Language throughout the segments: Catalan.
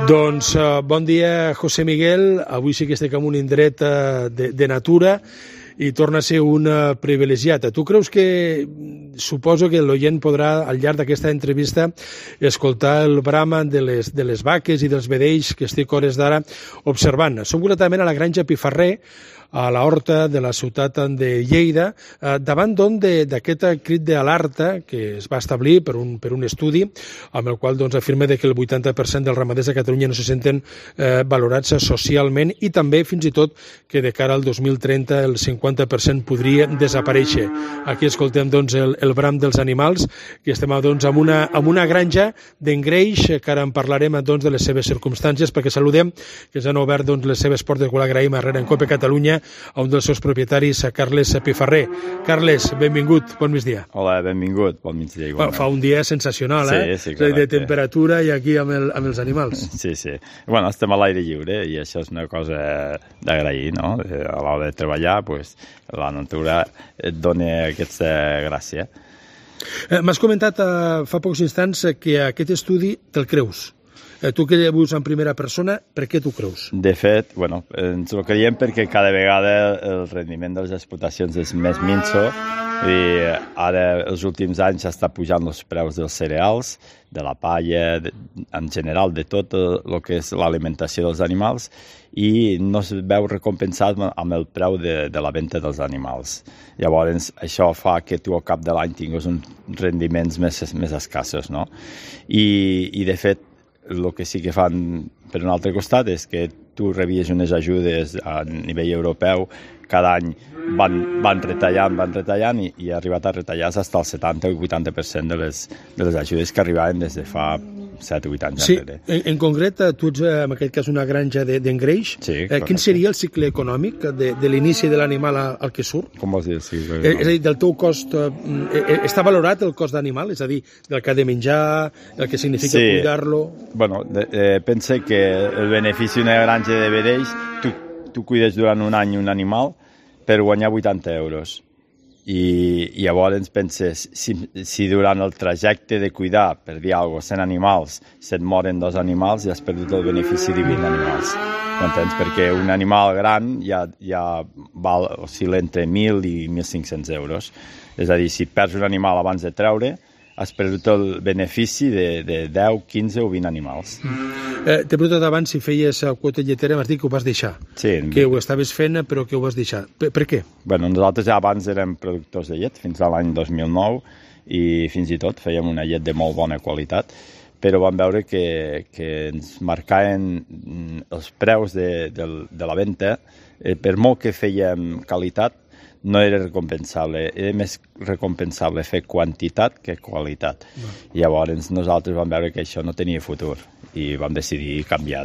Doncs bon dia, José Miguel. Avui sí que estic en un indret de natura i torna a ser un privilegiat. Tu creus que, suposo que l'oient podrà, al llarg d'aquesta entrevista, escoltar el brama de les vaques i dels vedells que estic hores d'ara observant. Som concretament a la granja Pifarré, a la horta de la ciutat de Lleida, davant d'aquest crit d'alerta que es va establir per un estudi amb el qual afirma que el 80% dels ramaders de Catalunya no se senten valorats socialment i també, fins i tot, que de cara al 2030 el 50% podria desaparèixer. Aquí escoltem el bram dels animals, que estem amb una granja d'engreix, que ara en parlarem de les seves circumstàncies, perquè saludem que ens han obert les seves portes, que l'agraïm a Rencope Catalunya, a un dels seus propietaris, a Carles Pifarré. Carles, benvingut, bon migdia. Hola, benvingut, bon migdia. Fa un dia sensacional, sí, clar, de temperatura i aquí amb els animals. Sí. Bueno, estem a l'aire lliure i això és una cosa d'agrair, no? A l'hora de treballar, la natura et dona aquesta gràcia. M'has comentat fa pocs instants que aquest estudi te'l creus. Tu que veus en primera persona, per què t'ho creus? De fet, ens ho creiem perquè cada vegada el rendiment de les explotacions és més minso i ara els últims anys està pujant els preus dels cereals, de la palla, en general de tot el que és l'alimentació dels animals i no es veu recompensat amb el preu de la venda dels animals. Llavors, això fa que tu al cap de l'any tinguis uns rendiments més escassos, no? I de fet, el que sí que fan per un altre costat és que tu rebies unes ajudes a nivell europeu, cada any van retallant i ha arribat a retallar fins al 70 o 80% de les ajudes que arribaven des de fa 7 o 8 anys enrere. Sí, en concret, tu ets en aquest cas una granja d'engreix. Sí, quin seria el cicle econòmic de l'inici de l'animal al que surt? Com vols dir el cicle econòmic? És a dir, del teu cost, està valorat el cost d'animal? És a dir, del que ha de menjar, el que significa cuidar-lo? Bueno, pensa que el benefici d'una granja de vedells, tu cuides durant un any un animal per guanyar 80 euros. I llavors penses, si durant el trajecte de cuidar, per dir alguna cosa, 100 animals, se't moren 2 animals i has perdut el benefici de 20 animals. M'entens? Perquè un animal gran ja oscil·la entre 1.000 i 1.500 euros. És a dir, si perds un animal abans de treure, has perdut el benefici de 10, 15 o 20 animals. T'he preguntat abans si feies quota lletera, m'has dit que ho vas deixar. Sí. Que ho estaves fent, però que ho vas deixar. Per què? Nosaltres ja abans érem productors de llet, fins a l'any 2009, i fins i tot fèiem una llet de molt bona qualitat, però vam veure que ens marcaven els preus de la venda, per molt que fèiem qualitat, no era recompensable, era més recompensable fer quantitat que qualitat. Llavors nosaltres vam veure que això no tenia futur i vam decidir canviar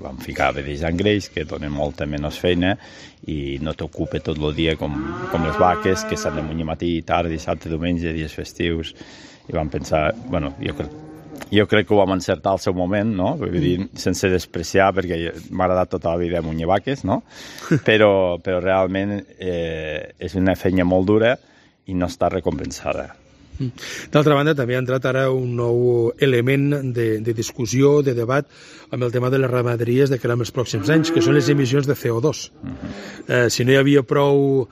vam ficar vedells d'engreix, que donen molta menys feina i no t'ocupa tot el dia com les vaques, que s'han de munyir matí, tard, dissabte, diumenge, dies festius. I vam pensar, jo crec que ho vam encertar al seu moment, no? Vull dir, sense despreciar, perquè m'ha agradat tota la vida munyir vaques, no? Però realment és una feina molt dura i no està recompensada. D'altra banda, també ha entrat ara un nou element de discussió, de debat, amb el tema de les ramaderies de cara als pròxims anys, que són les emissions de CO2. Si no hi havia prou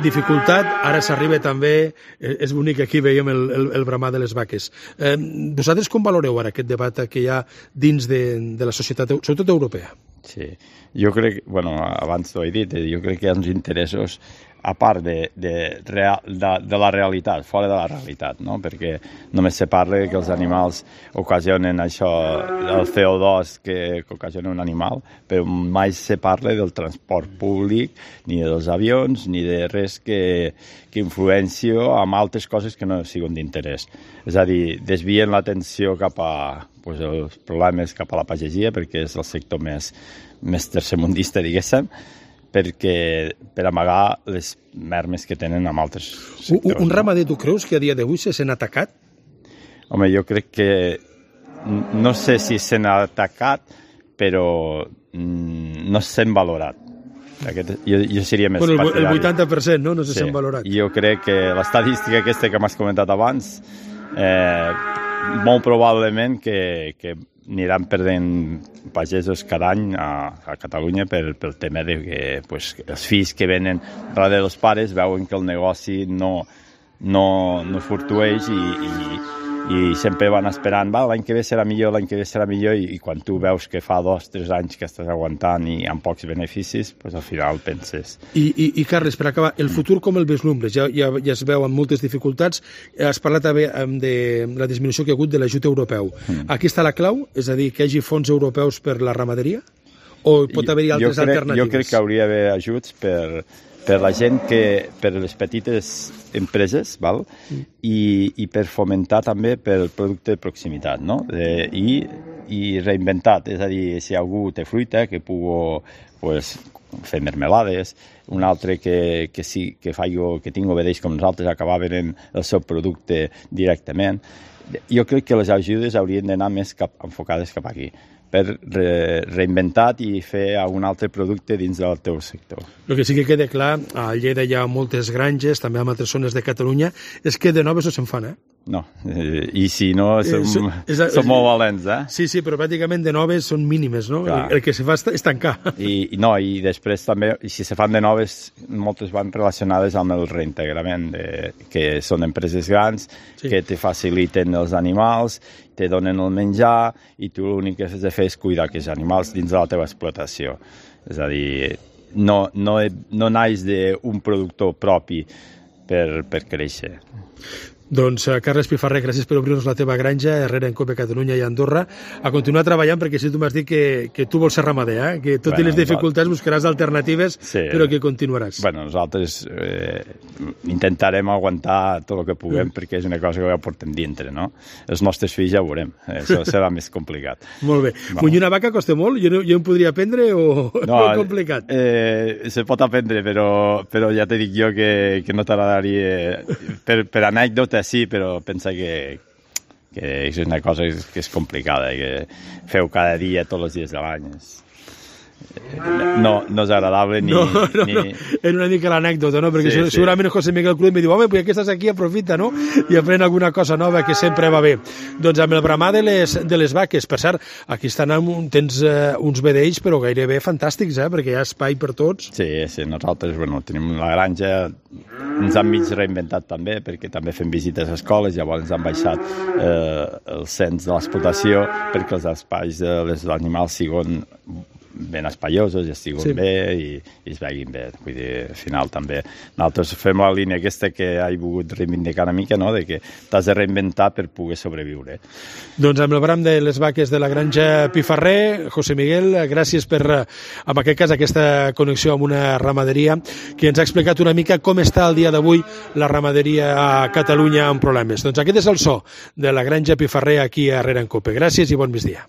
dificultat, ara s'arriba també, és bonic, aquí veiem el bramar de les vaques. Vosaltres com valoreu ara aquest debat que hi ha dins de la societat, sobretot europea? Sí, jo crec, abans t'ho he dit, jo crec que hi ha uns interessos a part de la realitat, fora de la realitat, no? Perquè només se parla que els animals ocasionen això, el CO2 que ocasiona un animal, però mai se parla del transport públic, ni dels avions, ni de res que influenci amb altres coses que no siguin d'interès. És a dir, desvien l'atenció cap a els problemes cap a la pagesia, perquè és el sector més tercermundista, diguéssim, per amagar les mermes que tenen amb altres sectors. Un ramader, tu creus que a dia d'avui se sent atacat? Home, jo crec que no sé si se n'ha atacat, però no se sent valorat. Jo seria més partidari. El 80%, no se sent valorat. Jo crec que l'estadística aquesta que m'has comentat abans molt probablement que aniran perdent pagesos cada any a Catalunya pel tema de que els fills que venen darrere dels pares veuen que el negoci no fluctueix i sempre van esperant, l'any que ve serà millor, i quan tu veus que fa 2 o 3 anys que estàs aguantant i amb pocs beneficis, al final penses... I Carles, per acabar, el futur com el vislumbres? Ja es veu amb moltes dificultats. Has parlat també de la disminució que hi ha hagut de l'ajut europeu. Aquí està la clau? És a dir, que hi hagi fons europeus per la ramaderia? O pot haver-hi altres alternatives? Jo crec que hauria d'haver ajuts per la gent, per les petites empreses, i per fomentar també pel producte de proximitat, no? I reinventat, és a dir, si algú té fruita, que pugui fer mermelades, un altre que tingui vedells com nosaltres, acabar venent el seu producte directament. Jo crec que les ajudes haurien d'anar més enfocades cap aquí, per reinventar i fer algun altre producte dins del teu sector. El que sí que queda clar, a Lleida hi ha moltes granges, també en altres zones de Catalunya, és que de noves no se'n fan, No, i si no, som molt valents, Sí, però pràcticament de noves són mínimes, no? Clar. El que se fa és tancar. I després també, si se fan de noves, moltes van relacionades amb el reintegrament, que són empreses grans, que te faciliten els animals, te donen el menjar, i tu l'únic que has de fer és cuidar aquests animals dins de la teva explotació. És a dir, no naix d'un productor propi per créixer. Doncs, Carles Pifarré, gràcies per obrir-nos la teva granja, Herrera en Cope, Catalunya i Andorra, a continuar treballant, perquè si tu m'has dit que tu vols ser ramader, que tot i les dificultats buscaràs alternatives, però que continuaràs. Nosaltres intentarem aguantar tot el que puguem, perquè és una cosa que ja portem dintre, no? Els nostres fills ja ho veurem, això serà més complicat. Molt bé. Munyir una vaca costa molt? Jo em podria aprendre o és complicat? Se pot aprendre, però ja te dic jo que no t'agradaria, per anècdota, sí, però pensa que és una cosa que és complicada, que feu cada dia, tots els dies de l'any. No és agradable ni... Era una mica l'anècdota, no? Perquè segurament José Miguel Cruz em diu, home, pues ja que estàs aquí, aprofita, no? I aprèn alguna cosa nova, que sempre va bé. Doncs amb el bramar de les vaques, per cert, aquí tens uns vedells, però gairebé fantàstics, perquè hi ha espai per tots. Sí, nosaltres tenim la granja, ens han mig reinventat també, perquè també fem visites a escoles, llavors ens han baixat el cens de l'explotació perquè els espais dels animals siguin ben espaiosos i estiguin bé i es vegin bé. Vull dir, al final també nosaltres fem la línia aquesta que he volgut reivindicar una mica, no?, de que t'has de reinventar per poder sobreviure. Doncs amb el bram de les vaques de la granja Pifarré, José Miguel, gràcies per, en aquest cas, aquesta connexió amb una ramaderia que ens ha explicat una mica com està el dia d'avui la ramaderia a Catalunya amb problemes. Doncs aquest és el so de la granja Pifarré aquí a Herrera en Cope. Gràcies i bon migdia.